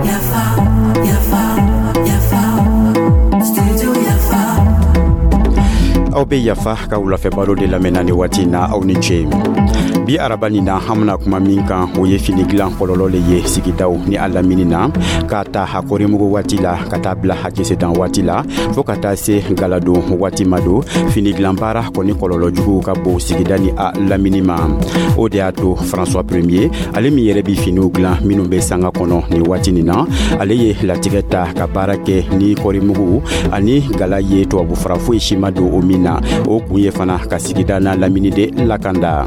Yafa, yafa, yafa, studio Yafa. Aw be Yafa ka wulafɛ baro de lamɛnna ni waati na. Aw ni ce. Bi araba nin na, an bena kuma min kan, o ye fini dilan kɔlɔlɔ le ye sigidaw ni a lamini na, k'a ta a kɔrimugu waati la ka taa bila a jesedan waati la, fɔɔ ka taa se galadon waati ma. Don fini dilan baara kɔni kɔlɔlɔ juguw ka bon sigida ni a lamini ma. O de y'a to François Premier, ale min yɛrɛ bi finiw dilan minw be sanga kɔnɔ ni waati nin na, ale ye latigɛ ta ka baara kɛ ni kɔrimugu ani gala ye, tubabu fara foyi si ma don o min na. O kun ye fana ka sigida n'a lamini de lakanda.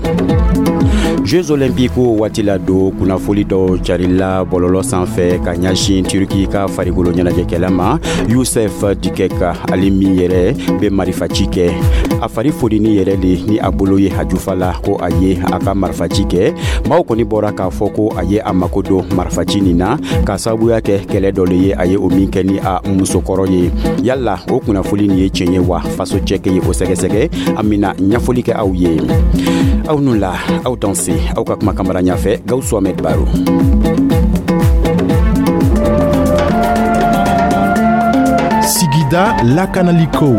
Jeux Olympiques waati la don, kunnafoli dɔw carila bɔlɔlɔ sanfɛ ka ɲɛsin Turki ka farikolo ɲɛnajɛkɛla ma, Yusuf Dikeç, ale min yɛrɛ bɛ marifaci kɛ. A fari fonini yɛrɛ de ni a bolo ye a jufa la ko a ye a ka marifaci kɛ. Maaw kɔni bɔra k'a fɔ ko a ye a mako don marifaci nin na k'a sababuya kɛ kɛlɛ dɔ le ye a ye o min kɛ ni a musokɔrɔ ye. Yala o kunnafoli nin ye tiɲɛ ye wa? Faso cɛkɛ ye o sɛgɛsɛgɛ, an bena ɲɛfɔli kɛ aw ye. Aw nu la, aw danse. Aw ka kuma kamara ɲafɛ, Gawusu Ahmed Baro. Sigida lakanaliko.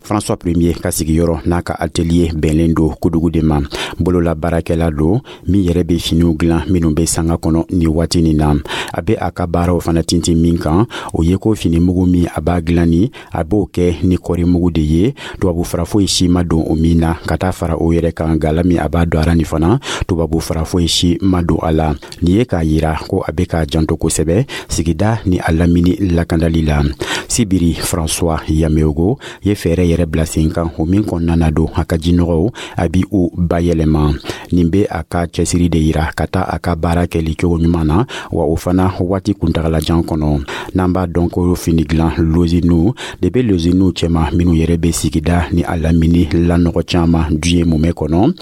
François Premier ka sigiyɔrɔ n'a ka atelier bɛnlen don Kudugu de ma. Bolola baarakɛla don min yɛrɛ bɛ finiw dilan minnu bɛ sanga kɔnɔ ni waati nin na. A bɛ a ka baaraw fana tintin min kan, o ye ko fini mugu min a b'a dilan ni, a b'o kɛ ni kɔri mugu de ye, tubabu fara foyi si ma don o min na. Ka taa fara o yɛrɛ kan, gala min a b'a don a ra nin fana, tubabu fara foyi si ma don a la. Nin ye k'a yira ko a bɛ k'a janto kosɛbɛ sigida ni a lamini lakandali la. Sibiri, François Yameogo ye fɛɛrɛ yɛrɛ bila sen kan, o min kɔnɔna na don, a ka jinɔgɔw a bi u bayɛlɛma. Nin be a ka cɛsiri de yira ka taa a ka baara kɛli cogo ɲuman na, wa o fana waati kuntagalajan kɔnɔ. N'an b'a dɔn ko fini dilan loziniw de be loziniw cɛma minw yɛrɛ be sigida ni a lamini lanɔgɔ caaman diɲɛ mumɛ kɔnɔ.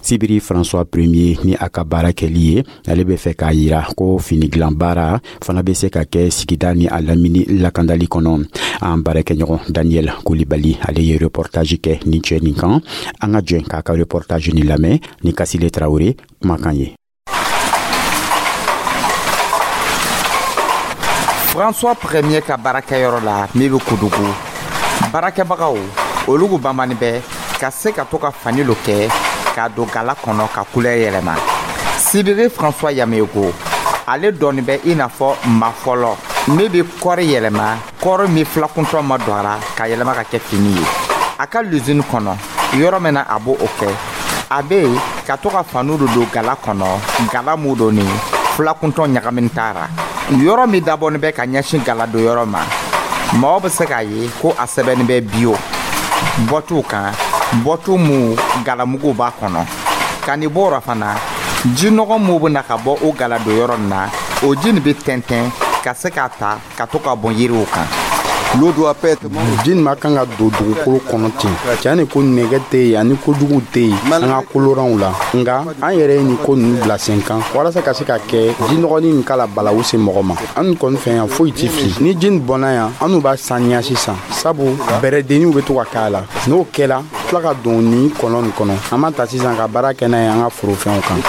Sibiri, François Premier ni a ka baara kɛli ye, ale be fɛ k'a yira ko fini dilan baara fana be se ka kɛ sigida ni a lamini lakandali kɔnɔ. An baarakɛɲɔgɔn Daniel Kulibali, ale ye reportage kɛ nin cɛ nin kan. An ka jɛn k'a ka reportage nin lamɛn ni Kasile Tarawele kumakan ye. François Premier ka baarakɛyɔrɔ la min bɛ Kudugu, baarakɛbagaw olugu banbani bɛ ka se ka to ka fani lo kɛ k'a don gala kɔnɔ ka kulɛri yɛlɛma. Sibiri, François Yameogo, ale dɔɔni bɛ i n'a fɔ maa fɔlɔ min bɛ kɔɔri yɛlɛma, kɔɔri min filakuntɔ ma don a ra, ka yɛlɛma ka kɛ fini ye. A ka luzini kɔnɔ, yɔrɔ min na a b'o kɛ, a bɛ yen ka to ka faniw do don gala kɔnɔ, gala mun don ni filakuntɔ ɲagamini t'a ra. Yɔrɔ min dabɔnin bɛ ka ɲɛsin gala don yɔrɔ ma, mɔgɔ bɛ se k'a ye ko a sɛbɛnnin bɛ bio bɔtiw kan, bɔtu mu galamuguw b'a kɔnɔ. Ka nin bɔ o fana, jinɔgɔ mun bɛ na ka bɔ o gala don yɔrɔ nin na, o ji nin bɛ tɛntɛn ka se k'a ta ka to ka bɔn yiriw kan. Ji nin ma kan ka don dugukolo kɔnɔ ten. Tiɲɛ ni ko nɛgɛ tɛ yen ani kojugu tɛ yen an ka koloranw la, nka an yɛrɛ ye nin ko ninnu bila sen kan walasa ka se ka kɛ jinɔgɔnin nin kala balawu se mɔgɔ ma. An kɔni fɛ yan, foyi ti fili. Ni ji nin bɔnna yan, an n'u b'a saniya sisan, sabu bɛrɛdenniw bɛ to ka k'a la. N'o kɛla, tila ka don nin kɔlɔn nin kɔnɔ, an b'a ta sisan ka baara kɛ n'a ye an ka forofɛnw kan.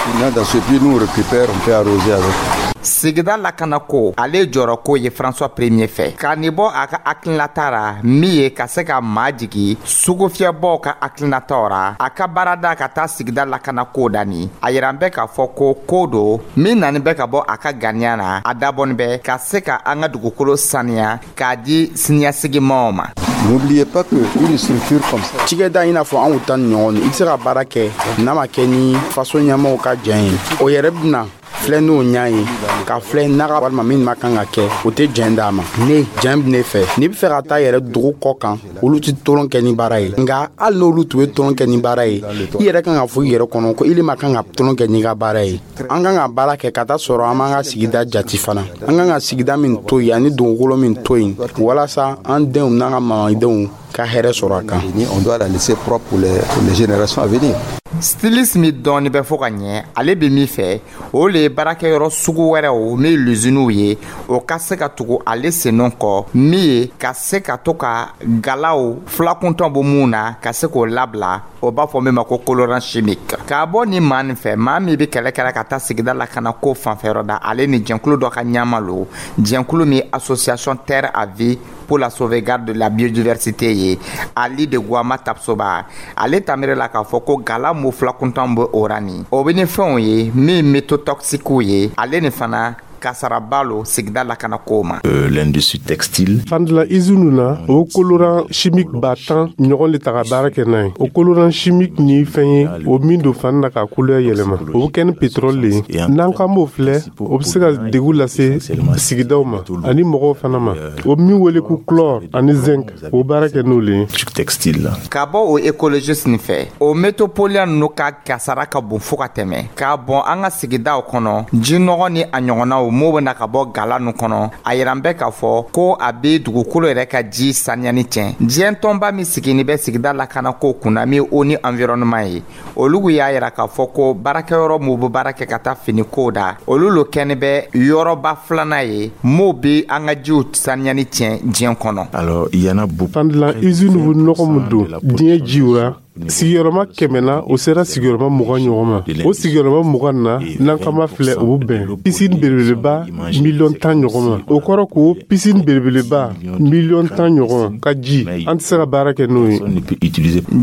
Sigida lakanako, ale jɔrɔko ye François Premier fɛ, ka nin bɔ a ka hakilinata ra min ye ka se ka maa jigi sugufiyɛbɔw ka hakilinataw ra. A ka baarada ka taa sigida lakanako dani, a yiran bɛ k'a fɔ ko ko do min nani bɛ ka bɔ a ka ganiya na. A dabɔnin bɛ ka se ka an ka dugukolo saniya k'a di siniɲɛsigimaw ma. N'oubliez pas que une structure comme ça. Cikɛda i n'a fɔ anw ta ni ɲɔgɔn, i tɛ se ka baara kɛ n'a ma kɛ ni faso ɲɛmɔgɔw ka jɛn ye. O yɛrɛ bɛna filɛ n'o ɲa ye ka filɛ naga walima min ma kan ka kɛ, o tɛ jɛn d'a ma. Ne jɛn bɛ ne fɛ, n'i bɛ fɛ ka taa yɛrɛ dugu kɔ kan, olu tɛ tolon kɛ ni baara ye. Nka hali n'olu tun bɛ tolon kɛ ni baara ye, i yɛrɛ kan ka fɔ i yɛrɛ kɔnɔ ko ile ma kan ka tolon kɛ n'i ka baara ye. An kan ka baara kɛ ka taa sɔrɔ an b'an ka sigida jati fana, an kan ka sigida min to yen ani dugukolo min to yen, walasa an denw n'an ka mamadenw ka hɛrɛ sɔrɔ a kan. On doit la laisser propre pour les générations à venir. Styliste min dɔɔni bɛ fɔ ka ɲɛ, ale bɛ min fɛ, o le ye baarakɛyɔrɔ sugu wɛrɛw min luziniw ye, o ka se ka tugu ale sennɔ kɔ, min ye ka se ka to ka galaw filakuntɔn bɔ mun na, ka se k'o labila. O b'a fɔ min ma ko colorant chimique. K'a bɔ ni maa nin fɛ, maa min bɛ kɛlɛ kɛra ka taa sigida lakana ko fanfɛyɔrɔ da, ale ni jɛnkulu dɔ ka ɲama lo, jɛnkulu min Association Terre à Vie pour la sauvegarde de la biodiversité ye, Ali de Guama Tapsoba, ale tamire la k'a fɔ ko gala mu fila kuntan bɛ o ra nin, o bɛ ni fɛnw ye min métaux toxiques ye, ale ni fana kasaraba lo sigida lakana kow ma. L'industrie textile. Fandila izinu na, o colorant chimique 10 000 ɲɔgɔn le ta ka baara kɛ n'a ye. O colorant chimique ni fɛn ye o min don fani na ka couleur yɛlɛma, o bɛ kɛ ni pétrole le ye. N'an k'an b'o filɛ, o bɛ se ka degun lase sigidaw ma ani mɔgɔw fana ma. O min wele ko chlore ani zinc, o baara kɛ n'o le ye. Textile. Ka bɔ o écologiste nin fɛ, o métaux polluants ninnu ka kasara ka bon fo ka tɛmɛ k'a bɔn an ka sigidaw kɔnɔ, jinɔgɔ ni a ɲɔgɔnnaw m'o bena ka bɔ gala nu kɔnɔ. A yiran bɛ k'a fɔ ko a be dugukolo yɛrɛ ka ji saniyani tiɲɛ. Diɲɛ tɔnba min sigini bɛ sigida lakana ko kunna, min ONU Environnement ye, olugu y'a yira k'a fɔ ko baarakɛyɔrɔ m'u be baara kɛ ka taa fini kow da, olu lo kɛni bɛ yɔrɔba filanan ye m'o be an ka jiw saniyani tiɲɛ diɲɛ kɔnɔ. Alors, il y en a beaucoup. Fandilan usine bɛ nɔgɔ min don diɲɛ jiw ra, sigiyɔrɔma 100 na, o sera sigiyɔrɔma 20 ɲɔgɔn ma. O sigiyɔrɔma 20 na, n'an kama filɛ, o bɛ bɛn piscine belebeleba miliyɔn 10 ɲɔgɔn ma. O kɔrɔ ko piscine belebeleba miliyɔn 10 ɲɔgɔn ka ji, an tɛ se ka baara kɛ n'o ye.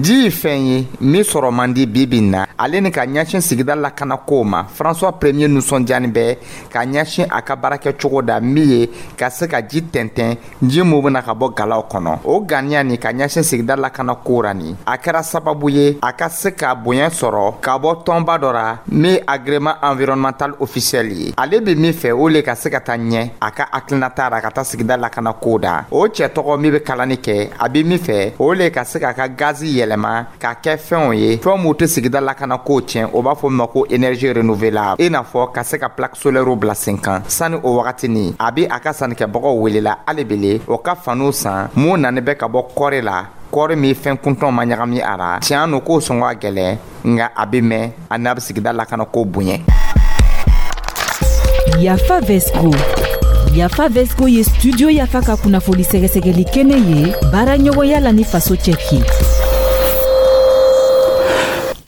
Ji ye fɛn ye min sɔrɔ man di bi bi na. Ale ni ka ɲɛsin sigida lakana kow ma, François Premier nisɔndiyani bɛ ka ɲɛsin a ka baarakɛcogo da min ye ka se ka ji tɛntɛn, ji mun bena ka bɔ galaw kɔnɔ. O ganiya ni ka ɲɛsin sigida lakana ko ra nin, a kɛra sababu ye a ka se ka bonya sɔrɔ ka bɔ tɔnba dɔ ra min agrément environnemental officiel ye. Ale be min fɛ, o le ka se ka taa ɲɛ a ka hakilinata ra ka taa sigida lakana ko da. O cɛ tɔgɔ min be kalani kɛ, a be min fɛ, o le ka se k'a ka gazi yɛlɛma k'a kɛ fɛnw ye, fɛn m'u tɛ sigida lakana ko tiɲɛ, o b'a fɔ min ma ko énergie renouvelable, i n'a fɔ ka se ka plaque solaire bila sen kan. Sani o wagati ni, a be a ka sannikɛbagaw welela hali bele o ka faniw san mun nani bɛ ka bɔ kɔri la, kɔɔri min fɛn kuntɔn ma ɲagami a ra. Tiɲɛ no k'o sɔngɔ a gɛlɛn, nka a bɛ mɛn a n'a bɛ sigida lakana ko bonya. Yafa Vesco. Yafa Vesco ye Studio Yafa ka kunnafoni sɛgɛsɛgɛli kɛnɛ ye, baara ɲɔgɔnya la ni Faso Cɛki.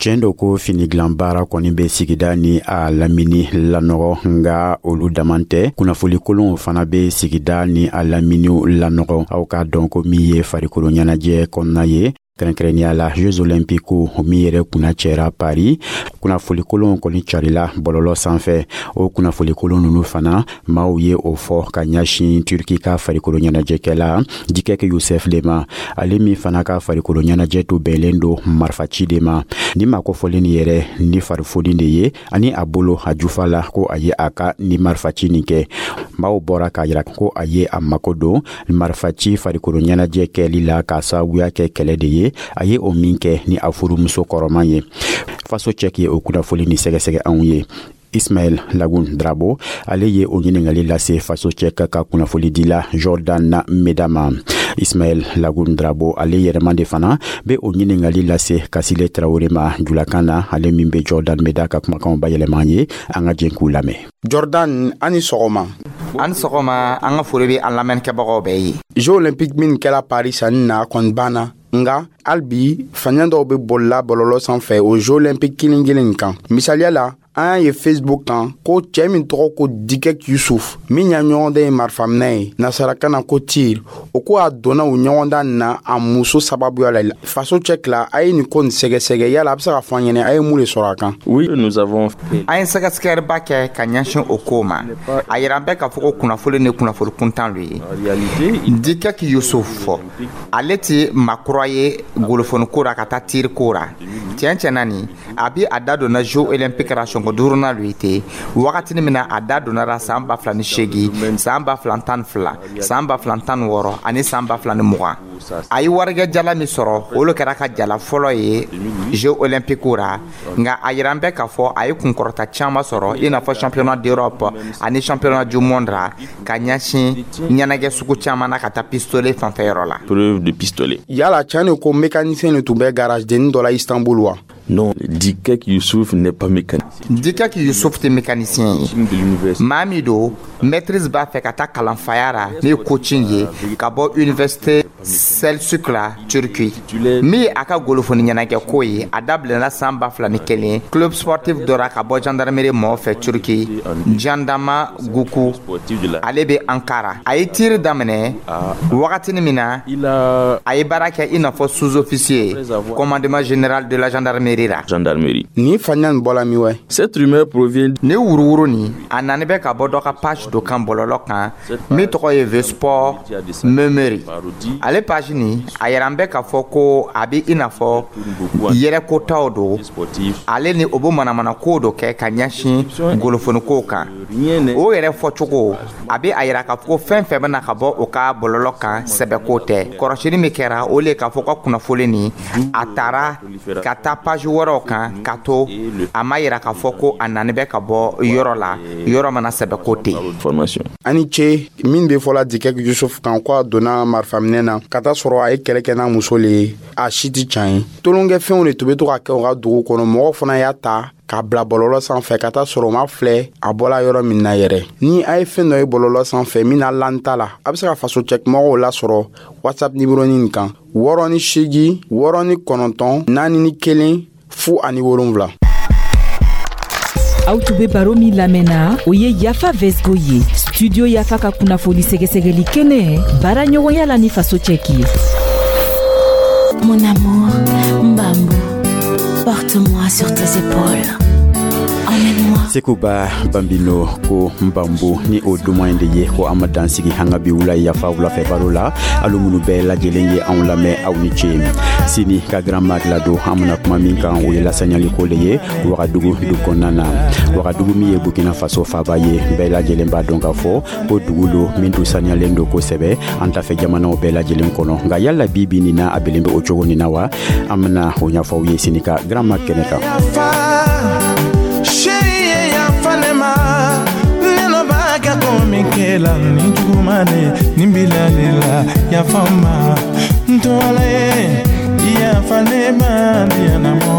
Tiɲɛ do ko fini dilan baara kɔni bɛ sigida ni a lamini lanɔgɔ, nga olu daman tɛ, kunnafoli kolonw fana bɛ sigida ni a laminiw lanɔgɔ. Aw k'a dɔn ko min ye farikolo ɲɛnajɛ kɔnɔna ye, kɛrɛnkɛrɛnnenya la Jeux olympiques min yɛrɛ kunna cɛra Paris, kunnafoli kolonw kɔni carila bɔlɔlɔ sanfɛ. O kunnafoli kolon nunu fana, maaw ye o fɔ ka ɲɛsin Turki ka farikolo ɲɛnajɛkɛla Dikɛk Yusef le ma, ale min fana ka farikolo ɲɛnajɛ to bɛnlen don marifaci de ma. Ni maa kofɔlen nin yɛrɛ ni farifoni de ye ani a bolo a jufa la ko a ye a ka ni marifaci nin kɛ. Maaw bɔra k'a yira ko a ye a mako don marifaci farikolo ɲɛnajɛ kɛli la k'a sababuya kɛ kɛlɛ de ye a ye o min kɛ ni a furumuso kɔrɔman ye. Faso Cɛki ye o kunnafoli ni sɛgɛsɛgɛ anw ye. Ismaɛl Lagun Drabo, ale ye o ɲiningali lase Faso Cɛ ka kunnafoli dila Jordan Meda ma. Ismaɛl Lagun Drabo, ale yɛrɛman de fana be o ɲiningali lase Kasile Tarawele ma julakan na, ale min be Jordan Meda ka kumakanw bayɛlɛma ye. An ka jɛn k'u lamɛn. Jordan, ani sɔgɔma. Ani sɔgɔma, an ka foli be an lamɛnnikɛbagaw bɛɛ ye. Jeux olympique min kɛra Paris sanni na kɔni banna, nga hali bi faniya dɔw be bolila bɔlɔlɔ sanfɛ o Jeux olympique kelen kelen kan. Misaliya la, an y'a ye Facebook kan ko cɛɛ min tɔgɔ ko Dikek Yusuf, min y'a ɲɔgɔndan ye marifaminɛ ye, nasarakan na ko tir, o ko a donna o ɲɔgɔndan na a muso sababuya la. Faso Cɛki la, a ye nin ko nin sɛgɛsɛgɛ. Yala a be se ka fɔ an ɲɛnɛ, a ye mun de sɔrɔ a kan? Oui, nous avons An ye sɛgɛsɛgɛliba kɛ ka ɲɛsin o kow ma. A yira bɛ k'a fɔ ko kunnafoli ni kunnafoli kuntan lo ye. Dikek Yusuf fɔ, ale ti makura ye golofoniko ra ka taa tir ko ra. Tiɲɛ tiɲɛ na nin, a bi a da donna Jeux olympique ra sɔngɔ duurunan lo ye ten, wagatini min na a da donna ra san 2008, san 2012, san 2016 ani san 2020. A ye warikɛ jala min sɔrɔ, o le kɛra ka jala fɔlɔ ye Jeux olympique ra. Nka a yira bɛ k'a fɔ a ye kunkɔrɔta caman sɔrɔ, i n'a fɔ championnat d'Europe ani championnat du monde ra, ka ɲɛsin ɲɛnajɛ sugu caman na ka taa pistolet fanfɛyɔrɔ la. Preuve de pistolet. Yala tiɲɛ de ko mécanicien de tun bɛ garage denni dɔ la Istanbul wa? Non, Dikek Youssouf n'est pas mécanicien. Dikek Yusuf tɛ mécanicien ye. De l'université. Maa min don, maîtrise b'a fɛ ka taa kalanfaya ra, ne ye coaching ye ka bɔ Université Selçuk la, Turki. Min ye a ka golofoni ɲɛnajɛ ko ye, a dabilana san 2001 club sportif dɔ ra ka bɔ gendarmerie mɔgɔw fɛ Turki, Jandarma Guku, ale bɛ Ankara. A ye tir daminɛ wagatini min na, a ye baara kɛ i n'a fɔ sous-officier commandement général de la gendarmerie la. Gendarmerie. Ni faniya nin bɔla min wɛ? Cette rumeur provient Ni wuruwuru nin, a nani bɛ ka bɔ dɔ ka page dɔ kan bɔlɔlɔ kan min tɔgɔ ye The Sport Memory. Ale page nin, a yɛrɛ an bɛ k'a fɔ ko a bɛ i n'a fɔ yɛrɛkotaw don. Ale ni o bɛ manamana ko dɔ kɛ ka ɲɛsin golofonikow kan. O yɛrɛ fɔcogo, a bɛ a yira k'a fɔ ko fɛn fɛn bɛna ka bɔ o ka bɔlɔlɔ kan, sɛbɛko tɛ. Kɔrɔsili min kɛra, o le k'a fɔ ka kunnafoni nin, a taara ka taa page wɛrɛw kan ka to a ma yira k'a fɔ ko a nani bɛ ka bɔ yɔrɔ la, yɔrɔ mana sɛbɛko tɛ. Formation. Ani ce. Min bɛ fɔla Dikɛk Yusuf kan ko a donna marifaminɛ na ka taa sɔrɔ a ye kɛlɛ kɛ n'a muso le ye, a si tɛ can ye. Tolonkɛfɛnw de tun bɛ to ka kɛ u ka dugu kɔnɔ. Mɔgɔw fana y'a ta k'a bila bɔlɔlɔ sanfɛ ka taa sɔrɔ u ma filɛ a bɔla yɔrɔ min na yɛrɛ. Ni a ye fɛn dɔ ye bɔlɔlɔ sanfɛ min na lan ta la, a bɛ se ka faso cɛkumɔgɔw lasɔrɔ WhatsApp nimero nin kan: 68 69 41 07. Aw tun be baro min lamɛnna, o ye Yafa Vesgo ye, Studio Yafa ka kunnafoni sɛgɛsɛgɛli kɛnɛ, baara ɲɔgɔnya la ni Faso Cɛki ye. Mon amour, Mbambu, porte-moi sur tes épaules. Emmène-moi. Sekuba Bambino ko Nbambu, ni o duman in de ye ko an ma dan sigi an ka bi wula Yafa wulafɛ baro la. Alu minnu bɛɛ lajɛlen ye anw lamɛn, aw ni ce. Sini ka Grand Mag ladon, an bena kuma min kan, o ye lasanyaliko le ye Wagadugu du kɔnɔna na. Wagadugu min ye Burkina Faso faba ye, bɛɛ lajɛlen b'a dɔn k'a fɔ ko dugu lo min tun saniyalen do kosɛbɛ an tafɛ jamanaw bɛɛ lajɛlen kɔnɔ. Nka yala bi bi nin na, a belen be o cogo nin na wa? An bena o ɲɛfɔ aw ye sini ka Grand Mag kɛnɛ kan. Chérie ye yafa ne ma, ne nɔ b'a kɛ ko min kɛla ni juguman de nin bilali la. Yafa n ma, n tɔgɔla ye, yafa ne ma, diyanamɔ.